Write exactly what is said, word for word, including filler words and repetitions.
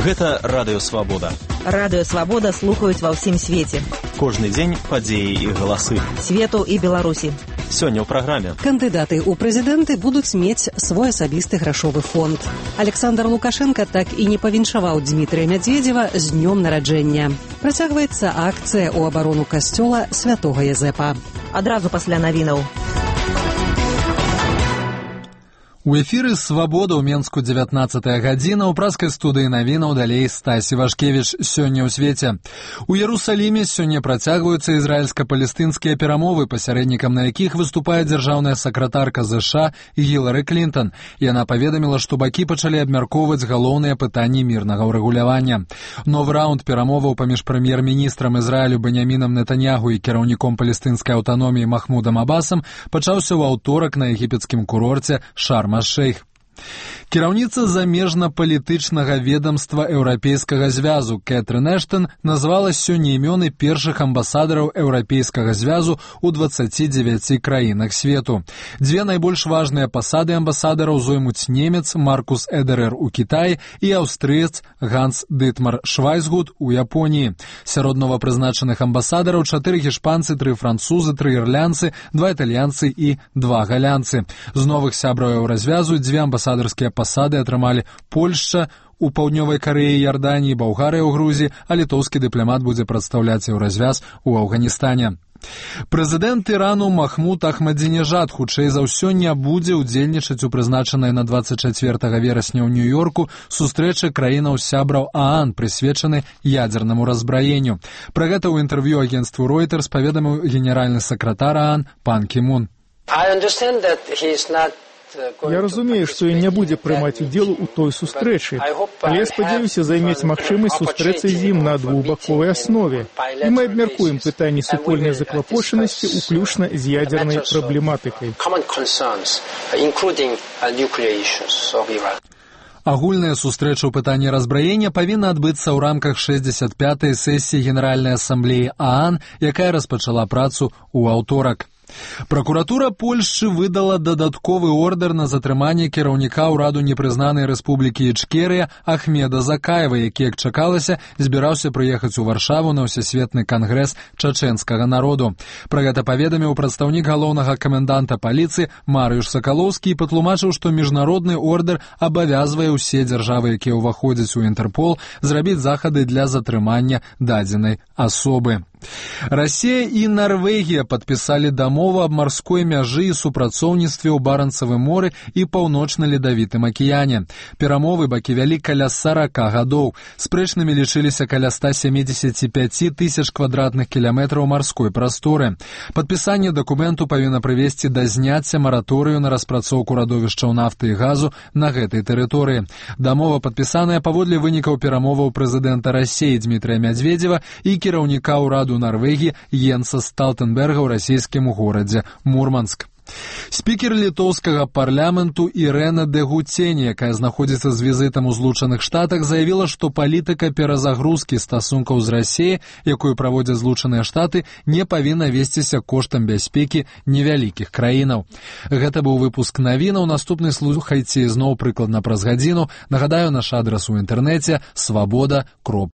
Гэта Радыё Свабода. Радыё Свабода слухаюць ва ўсім свеце. Кожны дзень падзеі і галасы. Свету і Беларусі. Сёння ў праграме. Кандыдаты ў прэзідэнты будуць мець свой асабісты грашовы фонд. Александр Лукашенко так і не павіншаваў Дмітрия Медведева з днём нараджэння. Працягваецца акцыя ў абарону касцёла святога Язэпа. Адразу пасля навінаў. У эфіры «Свабода» ў Менску дзевятнаццатая гадзіна, у праскай студыі навінаў далей Стасі Вашкевіч. Сёння ў свеце. У Иерусалиме сёння працягваюцца ізраільска-палестынскія перамовы, пасярэднікам на якіх выступае дзяржаўная сакратарка ЗША Гілары Клінтон. Яна паведаміла, што бакі пачалі абмяркоўваць галоўныя пытанні мірнага ўрэгулявання. Новы раунд перамоваў паміж прэм'ер-міністрам Ізраілю Беньямінам Нетаньяху і кіраўніком палестынскай аўтаноміі Махмудам Абасам пачаўся ў аўторак на егіпецкім курорце Шарм-аш-Шейх. Кіраўніца замежна-палітычнага ведомства Еўрапейскага звязу Кэтрын Эштон назвала сёння імёны першых амбасадараў Еўрапейскага звязу ў дваццаці дзевяці краінах свету. Дзве найбольш важныя пасады амбасадараў зоймуць немец Маркус Эдерер у Кітаі і аўстрыец Ганс Дытмар Швайцгут у Японіі. Сярод новапрызначаных амбасадараў чатыры гішпанцы, тры французы, тры ірлянцы, два італьянцы і два галянцы. З новых сябраў Еўразвязу дзве амбасадарскія пасады атрымалі Польшча у Паўднёвай Карэі, Ярданіі, Балгарыя ў Грузіі, а літоўскі дыпламат будзе прадстаўляць Еўразвяз у Афганістане. Прэзідэнт Ірану Махмуд Ахмадзінежад хутчэй за ўсё не будзе ўдзельнічаць у прызначанай на дваццаць чацвёртага верасня ў Нью-Йорку сустрэчы краінаў сябраў ААН, прысвечаны ядзернаму разбраенню. Пра гэта ў інтэрв'ю агенцтву Reuters паведаміў генеральны сакратар ААН Пан Кі Мун. Я разумею, што ён не будзе прымаць удзел у той сустрэчы, але я спадзяюся займець магчымасць сустрэцца з ім на двухбаковай аснове. І мы абмяркуем пытанні супольнай заклапочанасці, уключна з ядзернай праблематыкай. Агульная сустрэча ў пытанні разбраення павінна адбыцца ў рамках шэсцьдзесят пятай сесіі Генеральнай асамблеі ААН, якая распачала працу ў аўторак. Пракуратура Польшчы выдала дадатковы ордер на затрыманне кіраўніка ўраду непрызнанай рэспублікі Ічкерыя Ахмеда Закаева, які, як чакалася, збіраўся прыехаць у Варшаву на ўсесветны кангрэс чачэнскага народу. Пра гэта паведаміў прадстаўнік галоўнага каменданта паліцыі Марыюш Сакалоўскі і патлумачыў, што міжнародны ордер абавязвае ўсе дзяржавы, якія ўваходзяць у Інтэрпол, зрабіць захады для затрымання дадзенай асобы. Расія і Нарвегія падпісалі дамову аб марской мяжы і супрацоўніцтве ў Баранцавым моры і паўночна-ледавітым акіяне. Перамовы бакі вялі каля сарака гадоў. Спрэчнымі лічыліся каля ста сямідзесят пяць тысяч квадратных кіламетраў марской прасторы. Падпісанне дакументу павінна прывесці да зняцця мараторыю на распрацоўку радовішчаў нафты і газу на гэтай тэрыторыі. Дамова падпісаная паводле вынікаў перамоваў прэзідэнта Расіі Дмітрия Медведева і кіраўніка ўраду Норвегии Йенса Столтенберга ў расійскім горадзе Мурманск. Спікер літоўскага парламенту Ірэна Дэгуцені, якая знаходзіцца з візітам у Злучаных Штатах, заявіла, што палітыка перазагрузкі стасункаў з Расіяй, якую праводзяць Злучаныя Штаты, не павінна весціся коштам бяспекі невялікіх краінаў. Гэта быў выпуск навінаў. Наступны слухайце зноў прыкладна праз гадзіну. Нагадаю, наш адрас у інтэрнэце свабода кропка